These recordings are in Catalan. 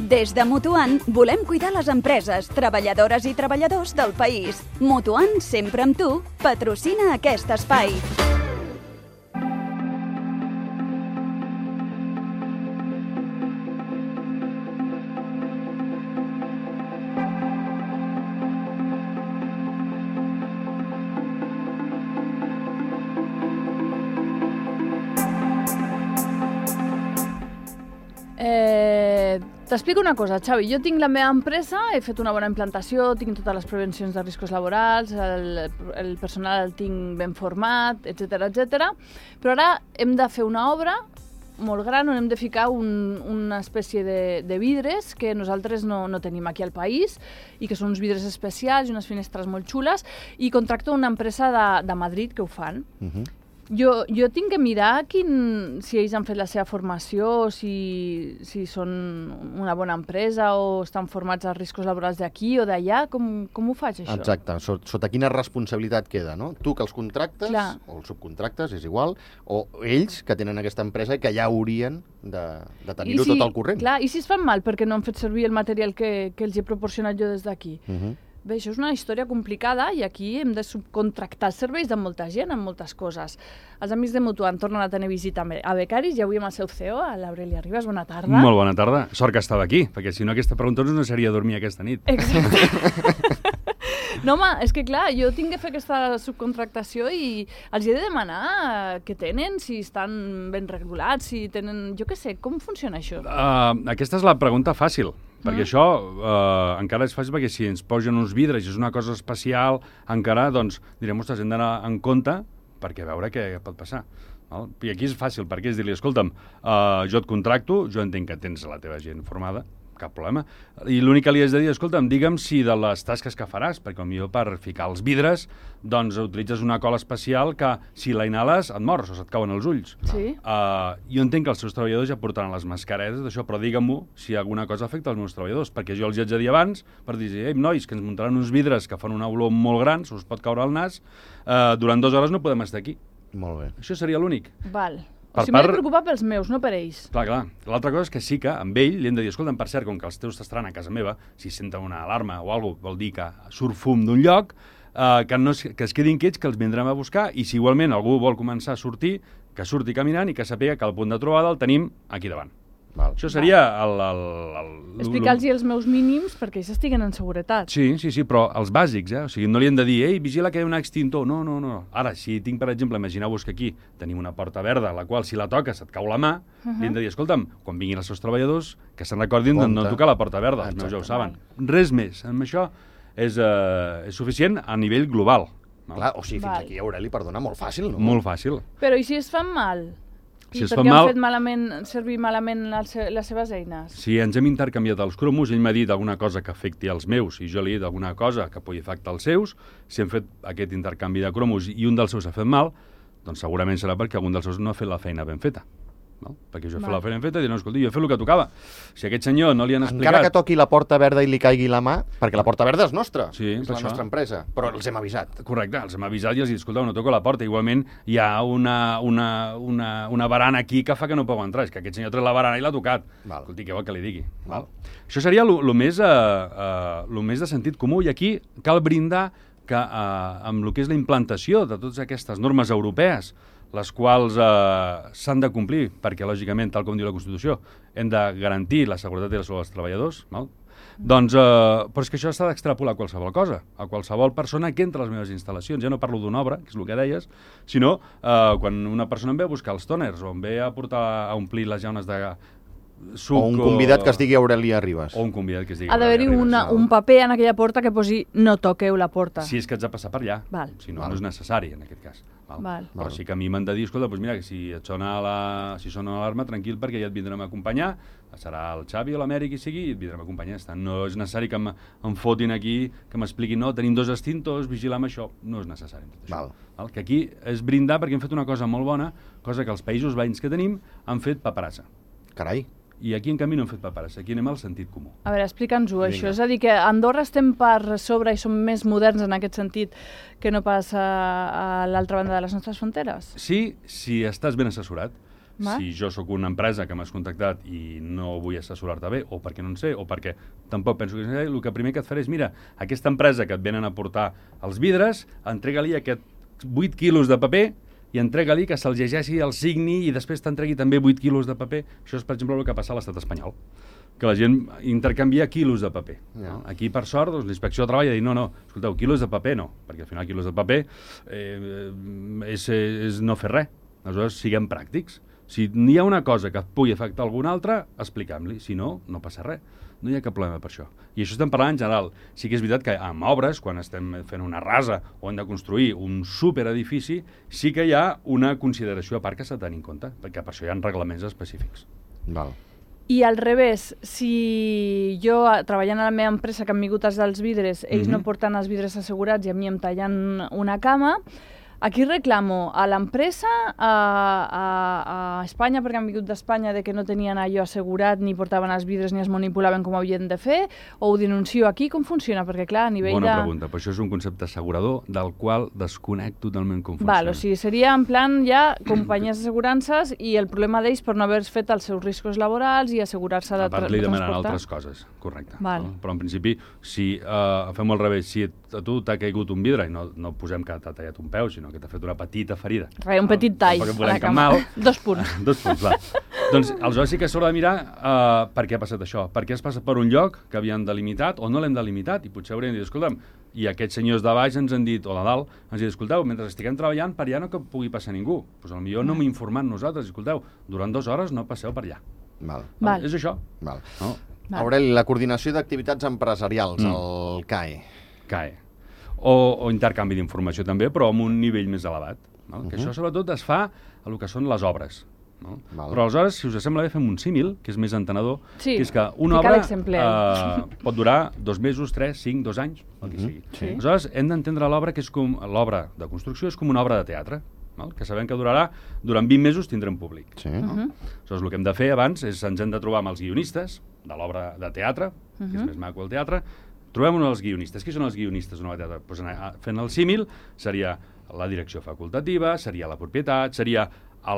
Des de Mutuant volem cuidar les empreses, treballadores i treballadors del país. Mutuant, sempre amb tu, patrocina aquest espai. T'explico una cosa, Xavi. Jo tinc la meva empresa, he fet una bona implantació, tinc totes les prevencions de riscos laborals, el personal el tinc ben format, etc. Però ara hem de fer una obra molt gran on hem de ficar una espècie de vidres que nosaltres no tenim aquí al país i que són uns vidres especials i unes finestres molt xules, i contracto una empresa de Madrid que ho fan. Jo tinc que mirar si ells han fet la seva formació, si són una bona empresa o estan formats als riscos laborals d'aquí o d'allà. Com ho faig, això? Exacte. Sota quina responsabilitat queda, no? Tu que els contractes, o els subcontractes, és igual, o ells que tenen aquesta empresa i que ja haurien de tenir-ho tot al corrent. Clar, i si es fan mal perquè no han fet servir el material que els he proporcionat jo des d'aquí? Bé, això és una història complicada i aquí hem de subcontractar els serveis de molta gent en moltes coses. Els amics de Mutuant tornen a tenir visita a becaris i avui amb el seu CEO, l'Aurelia Ribas. Bona tarda. Molt bona tarda. Sort que estava aquí, perquè si no aquesta pregunta no seria dormir aquesta nit. Exacte. No, home, és que clar, jo tinc que fer aquesta subcontractació i els he de demanar què tenen, si estan ben regulats, si tenen... Jo què sé, com funciona això? Aquesta és la pregunta fàcil. Perquè això encara és fàcil, perquè si ens posen uns vidres i és una cosa especial, encara, doncs, direm, ostres, hem d'anar en compte perquè veure què pot passar. I aquí és fàcil, perquè és dir-li, escolta'm, jo et contracto, jo entenc que tens la teva gent formada, cap problema, i l'únic que li has de dir, escolta'm, digue'm si de les tasques que faràs, perquè potser per ficar els vidres, doncs utilitzes una cola especial que si la inhales et mors o se't cauen els ulls. Sí. Jo entenc que els seus treballadors ja portaran les mascaretes d'això, però digue-m'ho si alguna cosa afecta els meus treballadors, perquè jo els haig de dir abans per dir, nois, que ens muntaran uns vidres que fan una olor molt gran, se us pot caure al nas, durant 2 hores no podem estar aquí. Molt bé. Això seria l'únic. Val. O sigui, m'he de preocupar pels meus, no per ells. Clar. L'altra cosa és que sí que amb ell li hem de dir, escolta'm, per cert, com que els teus t'estaran a casa meva, si senten una alarma o alguna cosa, vol dir que surt fum d'un lloc, que es quedin quiets, que els vindrem a buscar, i si igualment algú vol començar a sortir, que surti caminant i que sàpiga que el punt de trobada el tenim aquí davant. Això seria explicar-los els meus mínims perquè ells estiguen en seguretat. Sí, però els bàsics, O sigui, no li hem de dir, vigila que hi ha un extintor. No. Ara, si tinc, per exemple, imagineu-vos que aquí tenim una porta verda, la qual, si la toques, et cau la mà, li hem de dir, escolta'm, quan vinguin els seus treballadors, que se'n recordin de no tocar la porta verda, els meus ja ho saben. Res més. Amb això és suficient a nivell global. Clar, o sigui, fins aquí, Aureli, perdona, molt fàcil, no? Molt fàcil. Però i si es fan mal? Si es perquè fan mal, han fet servir malament les seves eines? Si ens hem intercanviat els cromos, ell m'ha dit alguna cosa que afecti els meus i jo li he dit alguna cosa que pugui afectar els seus, si hem fet aquest intercanvi de cromos i un dels seus ha fet mal, doncs segurament serà perquè algun dels seus no ha fet la feina ben feta. Perquè jo he fet la feina ben feta i dic, no, escolti, jo he fet el que tocava. Si a aquest senyor no li han explicat... Encara que toqui la porta verda i li caigui la mà, perquè la porta verda és nostra, és la nostra empresa, però els hem avisat. Correcte, els hem avisat i els he dit, escolta, no toco la porta. Igualment hi ha una barana aquí que fa que no puc entrar. És que aquest senyor ha tret la barana i l'ha tocat. Escolti, què vol que li digui? Això seria el més de sentit comú, i aquí cal brindar que amb el que és la implantació de totes aquestes normes europees, les quals s'han de complir, perquè, lògicament, tal com diu la Constitució, hem de garantir la seguretat i la salut dels treballadors, doncs, però és que això s'ha d'extrapolar a qualsevol cosa, a qualsevol persona que entra a les meves instal·lacions. Ja no parlo d'una obra, que és el que deies, sinó quan una persona em ve a buscar els tòners o em ve a portar a omplir les llaunes de suc... O un convidat que es digui Aurelia Ribas. O un convidat que es digui Aurelia Ribas. Ha d'haver-hi un paper en aquella porta que posi no toqueu la porta. Si és que ets de passar per allà. Si no, no és necessari, en aquest cas. Però sí que a mi m'han de dir, escolta, doncs mira, que si et sona l'alarma, tranquil, perquè ja et vindrem a acompanyar, serà el Xavi o l'Amèric qui sigui, i et vindrem a acompanyar. No és necessari que em fotin aquí, que m'expliquin, no, tenim 2 extintors, vigila amb això. No és necessari tot això. Que aquí és brindar perquè hem fet una cosa molt bona, cosa que els països veïns que tenim han fet paperassa. Carai. I aquí, en canvi, no hem fet paperassa. Aquí anem al sentit comú. A veure, explica'ns-ho, això. És a dir, que a Andorra estem per sobre i som més moderns en aquest sentit que no pas a l'altra banda de les nostres fronteres? Sí, si estàs ben assessorat. Si jo sóc una empresa que m'has contactat i no vull assessorar-te bé, o perquè no en sé, o perquè tampoc penso que sé, el que primer que et faré és, mira, aquesta empresa que et venen a portar els vidres, entrega-li aquests 8 quilos de paper i entrega-li que se'l llegeixi, el signi i després t'entregui també 8 quilos de paper. Això és, per exemple, el que passa a l'estat espanyol, que la gent intercanvia quilos de paper. No? Aquí, per sort, doncs, l'inspecció de treball ha dit no, escolteu, quilos de paper no, perquè al final quilos de paper és no fer res. Aleshores, siguem pràctics. Si hi ha una cosa que pugui afectar alguna altra, expliquem-li. Si no, no passa res. No hi ha cap problema per això. I això estem parlant en general. Sí que és veritat que amb obres, quan estem fent una rasa o hem de construir un superedifici, sí que hi ha una consideració a part que s'ha de tenir en compte, perquè per això hi ha reglaments específics. Val. I al revés, si jo, treballant a la meva empresa, que han vingut els vidres, ells no porten els vidres assegurats i a mi em tallen una cama, aquí reclamo a l'empresa, a Espanya, perquè han vingut d'Espanya, de que no tenien allò assegurat, ni portaven els vidres, ni es manipulaven com havien de fer, o ho denuncio aquí? Com funciona? Perquè, clar, a nivell Bona pregunta, però això és un concepte assegurador del qual desconec totalment com funciona. Val, o sigui, seria en plan ja companyies d'assegurances i el problema d'ells per no haver fet els seus riscos laborals i assegurar-se de transportar. A part li demanen altres coses, correcte. Val. No? Però en principi, si fem al revés, si a tu t'ha caigut un vidre i no posem que t'ha tallat un peu, sinó que t'ha fet una petita ferida. Un petit tall a la cama. 2 punts. 2 punts, va. Doncs aleshores sí que s'haurà de mirar per què ha passat això. Per què has passat per un lloc que havien delimitat o no l'hem delimitat i potser haurien dit, escolta'm, i aquests senyors de baix ens han dit, o de dalt, ens han dit, escolteu, mentre estiguem treballant per allà no que pugui passar ningú. Doncs potser no m'he informat nosaltres, escolteu, durant 2 hores no passeu per allà. Val. És això. Val. No? Aureli, la coordinació d'activitats empresarials, el CAE. CAE. O intercanvi d'informació també, però amb un nivell més elevat. No? Que això sobretot es fa a el que són les obres. No? Però aleshores, si us sembla bé, fem un símil, que és més entenedor, que és que una obra pot durar 2 mesos, 3, 5, 2 anys, el que sigui. Aleshores, hem d'entendre l'obra que és com l'obra de construcció és com una obra de teatre, que sabem que durarà, durant 20 mesos tindrem públic. Aleshores, el que hem de fer abans és ens hem de trobar amb els guionistes de l'obra de teatre, que és més maco el teatre. Trobem els guionistes. Qui són els guionistes d'una obra de teatre? Doncs fent el símil, seria la direcció facultativa, seria la propietat, seria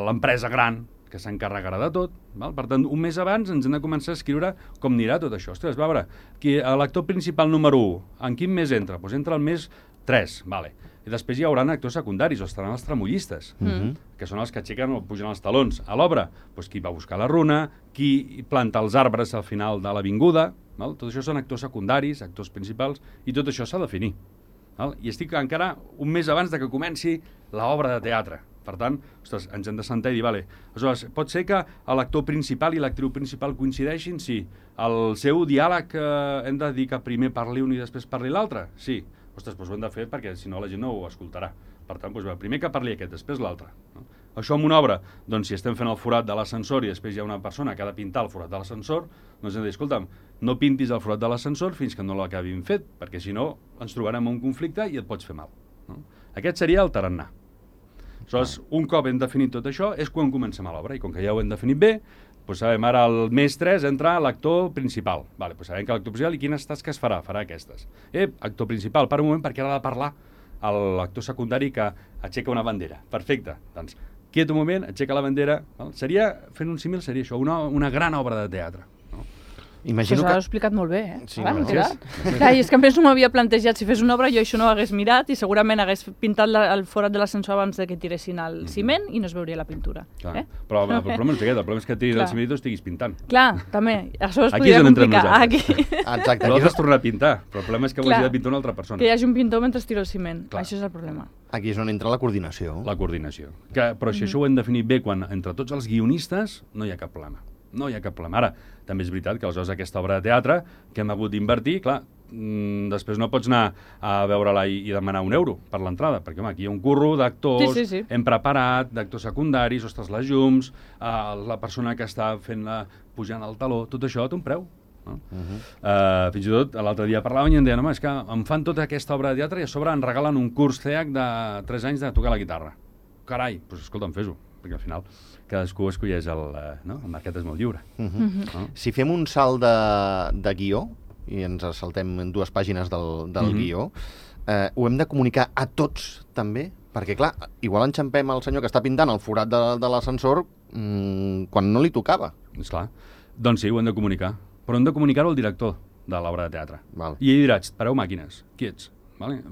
l'empresa gran que s'encarregarà de tot. Per tant, un mes abans ens hem de començar a escriure com anirà tot això. Ostres, va veure, l'actor principal número 1, en quin mes entra? Doncs entra el mes 3, vale. I després hi haurà actors secundaris, o estaran els tremollistes, que són els que aixequen o pugen els talons a l'obra. Doncs qui va buscar la runa, qui planta els arbres al final de l'avinguda, tot això són actors secundaris, actors principals, i tot això s'ha de definir. I estic encara un mes abans de que comenci l'obra de teatre. Per tant, ostres, ens hem de sentar i dir, vale, aleshores, pot ser que l'actor principal i l'actriu principal coincideixin? Sí. El seu diàleg hem de dir que primer parli un i després parli l'altre? Sí. Ostres, doncs ho hem de fer perquè si no la gent no ho escoltarà. Per tant, doncs, primer que parli aquest, després l'altre. Això en una obra, doncs si estem fent el forat de l'ascensor i després hi ha una persona que ha de pintar el forat de l'ascensor, doncs hem de dir, escolta'm, no pintis el forat de l'ascensor fins que no l'acabin fet, perquè si no ens trobarem en un conflicte i et pots fer mal. Aquest seria el tarannà. Aleshores, un cop hem definit tot això, és quan comencem a l'obra, i com que ja ho hem definit bé, doncs sabem, ara al mes 3 entra l'actor principal. Doncs sabem que l'actor principal i quines tasques farà? Farà aquestes. Actor principal, per un moment, perquè ara ha de parlar l'actor secundari que aixeca una bandera. Perfecte. Doncs, quiet un moment, aixeca la bandera. Fent un símil, seria això, una gran obra de teatre. Imagino que... S'ha explicat molt bé, Sí, clar, i és que a més no m'havia plantejat, si fes una obra jo això no ho hagués mirat i segurament hagués pintat el forat de l'ascensor abans de que tiressin el ciment i no es veuria la pintura. Però el problema és aquest, el problema és que tiris el ciment i tu estiguis pintant. Clar, també. Això es podria complicar. Exacte. No has tornat a pintar, però el problema és que ho hagi de pintar una altra persona. Que hi hagi un pintor mentre tiro el ciment. Això és el problema. Aquí és on entra la coordinació. La coordinació. Però si això ho hem definit bé, quan entre tots els guionistes no hi ha cap problema. No hi ha cap problema. Ara, també és veritat que aleshores aquesta obra de teatre que hem hagut d'invertir, clar, després no pots anar a veure-la i demanar €1 per l'entrada, perquè aquí hi ha un curro d'actors, hem preparat, d'actors secundaris, ostres, les llums, la persona que està pujant el taló, tot això té un preu. Fins i tot l'altre dia parlaven i em deien, home, és que em fan tota aquesta obra de teatre i a sobre em regalen un curs CEAC de 3 anys de tocar la guitarra. Carai, doncs escolta'm, fes-ho, perquè al final cadascú escolleix el mercat és molt lliure. Si fem un salt de guió, i ens saltem en 2 pàgines del guió, ho hem de comunicar a tots també? Perquè, clar, igual enxampem el senyor que està pintant el forat de l'ascensor quan no li tocava. Esclar. Doncs sí, ho hem de comunicar. Però hem de comunicar-ho al director de l'obra de teatre. Val. I ell dirà, pareu màquines, qui ets? Vale?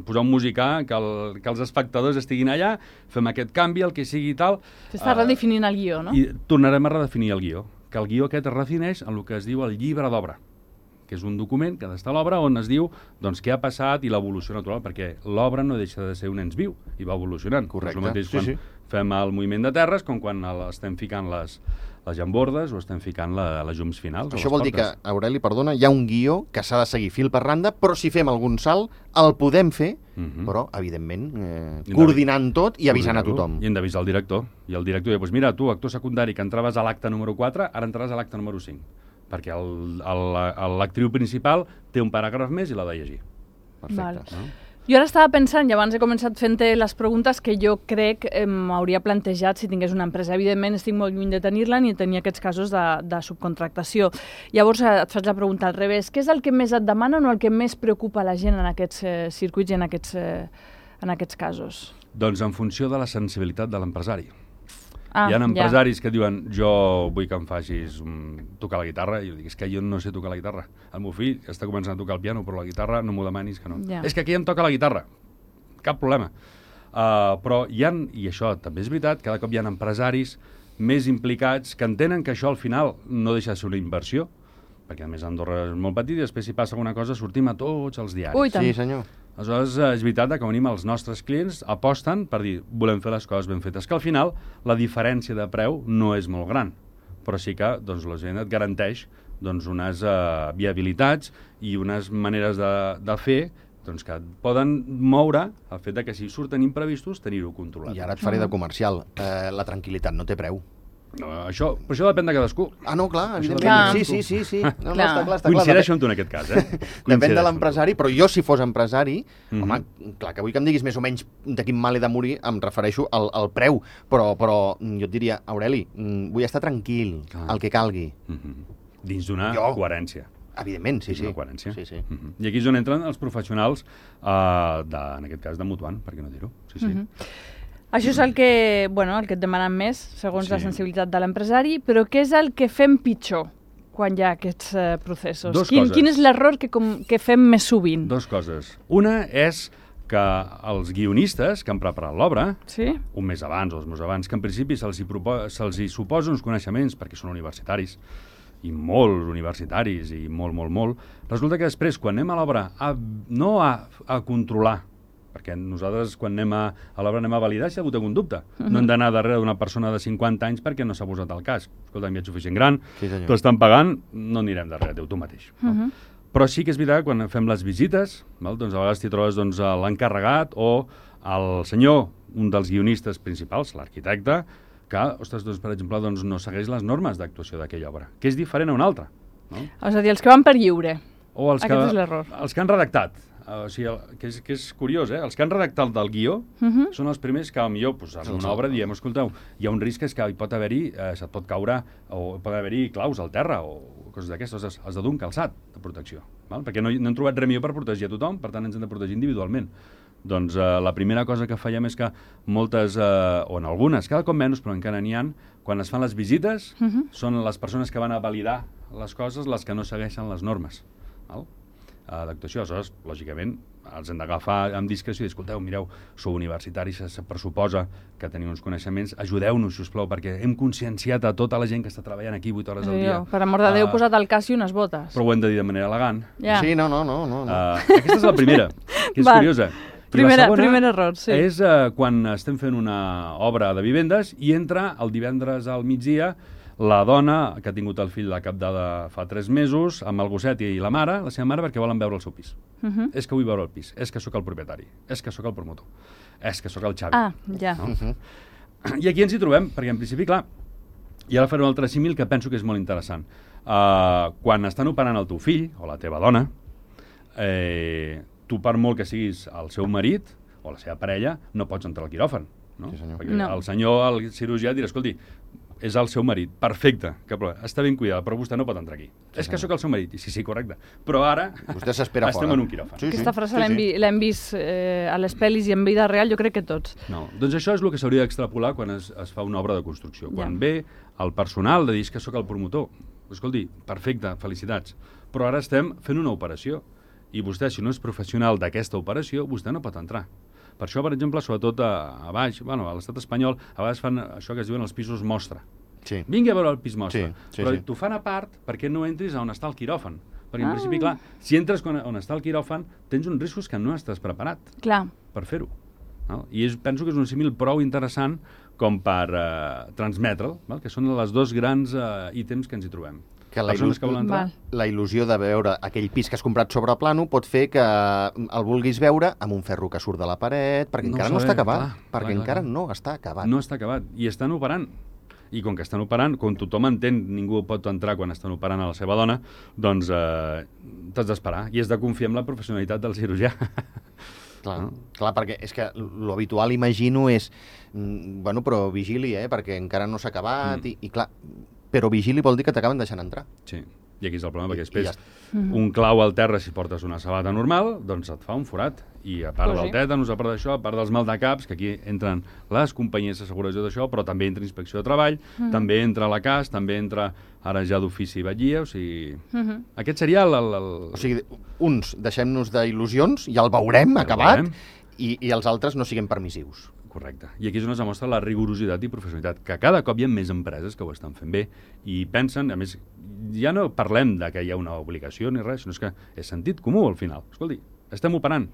Posar un musicà, que els espectadors estiguin allà, fem aquest canvi, el que sigui i tal... S'està redefinint el guió, no? I tornarem a redefinir el guió. Que el guió aquest es redefineix en el que es diu el llibre d'obra, que és un document que ha d'estar a l'obra on es diu doncs, què ha passat i l'evolució natural, perquè l'obra no deixa de ser un ens viu i va evolucionant. Correcte. És el mateix quan fem el moviment de terres com quan estem ficant les llambordes o estem ficant les llums finals. Això vol dir que, Aureli, perdona, hi ha un guió que s'ha de seguir fil per randa, però si fem algun salt el podem fer, però, evidentment, coordinant tot i avisant a tothom. I hem d'avisar el director. I el director diu, doncs mira, tu, actor secundari, que entraves a l'acte número 4, ara entraràs a l'acte número 5. Perquè l'actriu principal té un paràgraf més i l'ha de llegir. Perfecte. No? Jo ara estava pensant, i abans he començat fent-te les preguntes que jo crec m'hauria plantejat si tingués una empresa. Evidentment, estic molt lluny de tenir-la ni de tenir aquests casos de subcontractació. Llavors et faig la pregunta al revés. Què és el que més et demanen o el que més preocupa la gent en aquests circuits i en aquests casos? Doncs en funció de la sensibilitat de l'empresari. Hi ha empresaris que diuen, jo vull que em facis tocar la guitarra, i jo dic, és que jo no sé tocar la guitarra. El meu fill està començant a tocar el piano, però la guitarra no m'ho demanis que no. És que aquí em toca la guitarra. Cap problema. Però hi ha, i això també és veritat, cada cop hi ha empresaris més implicats que entenen que això al final no deixa de ser una inversió, perquè a més Andorra és molt petit i després si passa alguna cosa sortim a tots els diaris. Ui, tant. Sí, senyor. Aleshores, és veritat que venim els nostres clients aposten per dir, volem fer les coses ben fetes, que al final la diferència de preu no és molt gran, però sí que doncs, la gent et garanteix doncs, unes viabilitats i unes maneres de fer doncs, que poden moure el fet de que si surten imprevistos tenir-ho controlat. I ara et faré de comercial. La tranquil·litat no té preu. No, però això depèn de cadascú. Ah, no, clar, evidentment. Sí. No, està clar. Coincideixo amb tu en aquest cas, Depèn de l'empresari, però jo si fos empresari, home, clar, que vull que em diguis més o menys de quin mal he de morir, em refereixo al preu, però jo et diria, Aureli, vull estar tranquil, el que calgui. Dins d'una coherència. Evidentment, sí. Una coherència. Sí. I aquí és on entren els professionals, en aquest cas de Mutuant, per què no dir-ho? Sí. Això és el que et demanen més, segons la sensibilitat de l'empresari, però què és el que fem pitjor quan hi ha aquests processos? Quin és l'error que fem més sovint? Dos coses. Una és que els guionistes que han preparat l'obra, un mes abans o 2 mesos abans, que en principi se'ls suposa uns coneixements, perquè són universitaris, i molt universitaris, i molt, resulta que després, quan anem a l'obra, no a controlar, perquè nosaltres, quan anem a l'obra, anem a validar si ha hagut algun dubte. No hem d'anar darrere d'una persona de 50 anys perquè no s'ha posat el casc. Escolta, em veig suficient gran, t'ho estan pagant, no anirem darrere teu, tu mateix. Però sí que és veritat, quan fem les visites, doncs a vegades t'hi trobes l'encarregat o el senyor, un dels guionistes principals, l'arquitecte, que, ostres, per exemple, no segueix les normes d'actuació d'aquella obra, que és diferent a una altra. És a dir, els que van per lliure. Aquest és l'error. Els que han redactat. O sigui, que és curiós, els que han redactat del guió són els primers que, potser, en una obra diem, escolteu, hi ha un risc que hi pot haver-hi, se't pot caure, o pot haver-hi claus al terra, o coses d'aquestes, has de dur un calçat de protecció, perquè no hem trobat res millor per protegir a tothom, per tant ens hem de protegir individualment. Doncs la primera cosa que fèiem és que moltes, o en algunes, cada cop menys, però encara n'hi ha, quan es fan les visites, són les persones que van a validar les coses les que no segueixen les normes d'actuació. Aleshores, lògicament, els hem d'agafar amb discreció i dir, escolteu, mireu, sou universitaris, se pressuposa que teniu uns coneixements, ajudeu-nos, sisplau, perquè hem conscienciat a tota la gent que està treballant aquí 8 hores al dia. Per amor de Déu, posat el cas i unes botes. Però ho hem de dir de manera elegant. Sí, no. Aquesta és la primera, que és curiosa. Primer error, sí. És quan estem fent una obra de vivendes i entra el divendres al migdia la dona que ha tingut el fill de cap de fa 3 mesos amb el gosset i la mare, la seva mare, perquè volen veure el seu pis. És que vull veure el pis, és que sóc el propietari, és que sóc el promotor, és que sóc el Xavi. I aquí ens hi trobem, perquè en principi, clar, i ara faré un altre símil que penso que és molt interessant. Quan estan operant el teu fill o la teva dona, tu per molt que siguis el seu marit o la seva parella, no pots entrar al quiròfan. No? Sí, senyor. Perquè el senyor, el cirurgià, dirà, escolti, és el seu marit. Perfecte, cap problema. Està ben cuidada, però vostè no pot entrar aquí. És que sóc el seu marit. Sí, correcte. Però ara vostè s'espera fora. Estem en un quiròfan. Aquesta frase l'hem vist a les pel·lis i en vida real, jo crec que tots. No, doncs això és el que s'hauria d'extrapolar quan es fa una obra de construcció. Quan ve el personal de dir que sóc el promotor. Escolti, perfecte, felicitats. Però ara estem fent una operació. I vostè, si no és professional d'aquesta operació, vostè no pot entrar. Per això, per exemple, sobretot a baix, bueno, a l'estat espanyol, a vegades fan això que es diuen els pisos mostra. Sí. Vingui a veure el pis mostra. Però sí. t'ho fan a part perquè no entris a on està el quiròfan. Perquè, en principi, clar, si entres on està el quiròfan, tens uns riscos que no estàs preparat per fer-ho. No? I penso que és un símil prou interessant com per transmetre'l, que són els dos grans ítems que ens hi trobem. Que la il·lusió de veure aquell pis que has comprat sobre plano pot fer que el vulguis veure amb un ferro que surt de la paret, perquè encara no està acabat. Perquè encara no està acabat. No està acabat. I estan operant. I com que estan operant, com tothom entén, ningú pot entrar quan estan operant a la seva dona, doncs t'has d'esperar. I has de confiar en la professionalitat del cirurgià. Clar, perquè és que l'habitual, imagino, és bueno, però vigili, perquè encara no s'ha acabat, i clar, però vigili vol dir que t'acaben deixant entrar. Sí, i aquí és el problema, perquè després un clau al terra, si portes una sabata normal, doncs et fa un forat. I a part del tètanus, a part d'això, a part dels maldecaps, que aquí entren les companyies d'asseguradors d'això, però també entra Inspecció de Treball, també entra la CAS, també entra ara ja d'ofici i batllia, o sigui... Aquest seria O sigui, uns deixem-nos d'il·lusions, ja el veurem acabat, i els altres no siguem permissius. Correcte. I aquí és on es demostra la rigorositat i professionalitat, que cada cop hi ha més empreses que ho estan fent bé i pensen, a més, ja no parlem de que hi ha una obligació ni res, sinó que és sentit comú al final. Escolti, estem operant.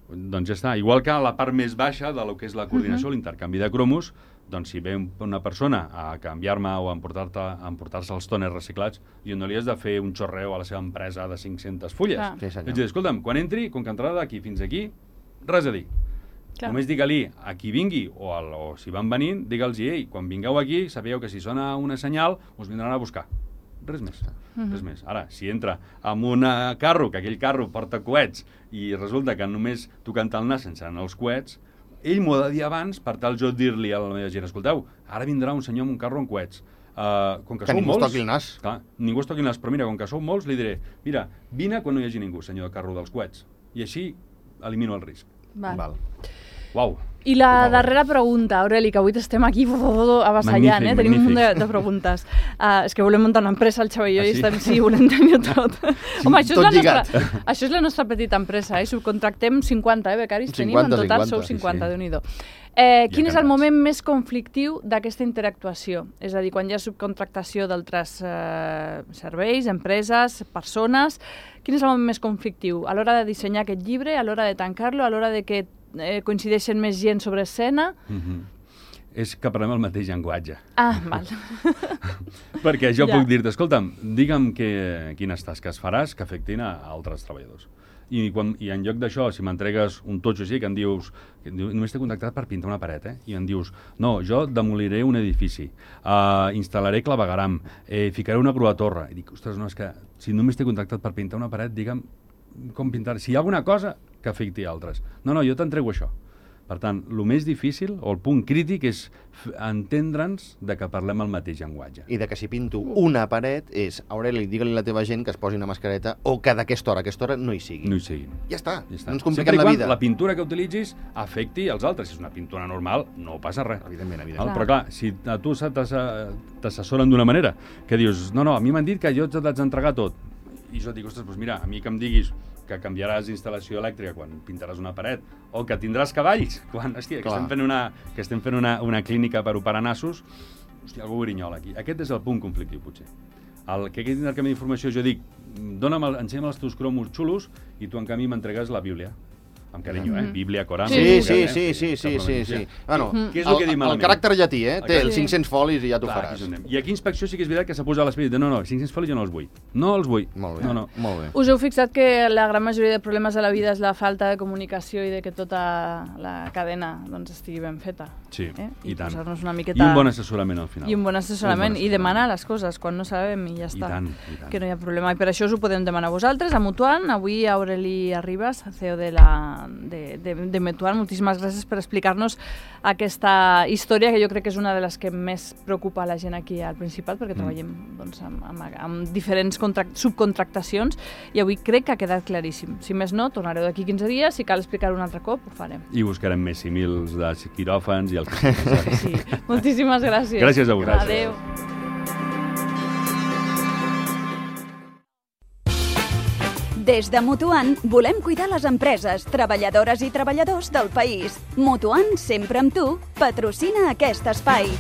Doncs ja està. Igual que a la part més baixa de lo que és la coordinació, l'intercanvi de cromos, doncs si ve una persona a canviar-me o a emportar-se els tòners reciclats, jo no li has de fer un xorreu a la seva empresa de 500 fulles. És a dir, escolta'm, quan entri, com que entrarà d'aquí fins aquí, res a dir. Només digue-li a qui vingui, o si van venint, digue'ls, ei, quan vingueu aquí, sabeu que si sona una senyal, us vindran a buscar. Res més. Res més. Ara, si entra amb un carro, que aquell carro porta coets, i resulta que només tocant el nas sense anar els coets, ell m'ho ha de dir abans per tal jo dir-li a la meva gent, escolteu, ara vindrà un senyor amb un carro amb coets. Com que ningú es toqui el nas. Clar, ningú es toqui el nas, però mira, com que sou molts, li diré, mira, vine quan no hi hagi ningú, senyor de carro dels coets. I així elimino el risc. Val. Uau. I la darrera pregunta, Aureli, que avui estem aquí avassallant, tenim un munt de preguntes. És que volem muntar una empresa, el Xavi i jo, i estem, volem tenir tot. Home, això és la nostra petita empresa, subcontractem 50, becaris tenim, en total sou 50, Déu-n'hi-do. Quin és el moment més conflictiu d'aquesta interactuació? És a dir, quan hi ha subcontractació d'altres serveis, empreses, persones, quin és el moment més conflictiu? A l'hora de dissenyar aquest llibre, a l'hora de tancar-lo, a l'hora de que coincideixen més gent sobre escena? És que parlem el mateix llenguatge. Val. Perquè jo puc dir-te, escolta'm, digue'm quines tasques faràs que afectin a altres treballadors. I en lloc d'això, si m'entregues un totxo així, que em dius, només t'he contactat per pintar una paret, i em dius, no, jo demoliré un edifici, instal·laré clavegueram, ficaré una grua torre. I dic, ostres, no, és que si només t'he contactat per pintar una paret, digue'm com pintar, si hi ha alguna cosa que afecti altres. No, jo t'entrego això. Per tant, el més difícil, o el punt crític, és entendre'ns de que parlem el mateix llenguatge. I de que si pinto una paret és, Aureli, digue-li a la teva gent que es posi una mascareta o que d'aquesta hora no hi sigui. No hi sigui. Ja està. No ens compliquem la vida. La pintura que utilitzis afecti als altres. Si és una pintura normal, no passa res. Evidentment. Però clar, si a tu t'assessoren d'una manera, que dius, no, a mi m'han dit que jo t'haig d'entregar tot. I jo et dic, ostres, doncs mira, a mi que em diguis que canviaràs instal·lació elèctrica quan pintaràs una paret, o que tindràs cavalls quan, que estem fent una clínica per operar nassos, algú grinyola aquí. Aquest és el punt conflictiu, potser. Que aquest intercanvi d'informació, jo dic, ensenya'm els teus cromos xulos i tu en canvi m'entregues la Bíblia. Amb carinyo, Bíblia, Corà... Sí. Bueno, què és el que dic malament? El caràcter llatí, té els 500 folis i ja t'ho faràs. I aquí inspecció sí que és veritat que s'ha posat l'esperit de no, 500 folis jo no els vull. No els vull. Molt bé. Molt bé. Us heu fixat que la gran majoria de problemes de la vida és la falta de comunicació i de que tota la cadena estigui ben feta. Sí, i tant. Posar-nos una miqueta... I un bon assessorament al final. I un bon assessorament. I demanar les coses quan no sabem i ja està. I tant. Que no hi ha problema. I per això us ho podem demanar a vosaltres, a Mutuant. Avui Aureli Arribas, CEO de la de Metuan. Moltíssimes gràcies per explicar-nos aquesta història, que jo crec que és una de les que més preocupa la gent aquí al Principat, perquè treballem doncs, amb diferents subcontractacions, i avui crec que ha quedat claríssim. Si més no, tornareu d'aquí 15 dies, si cal explicar-ho un altre cop, ho farem. I buscarem més símils de quiròfans i el Sí. Moltíssimes gràcies. Gràcies a vosaltres. Adéu. Des de Mutuant volem cuidar les empreses, treballadores i treballadors del país. Mutuant, sempre amb tu, patrocina aquest espai.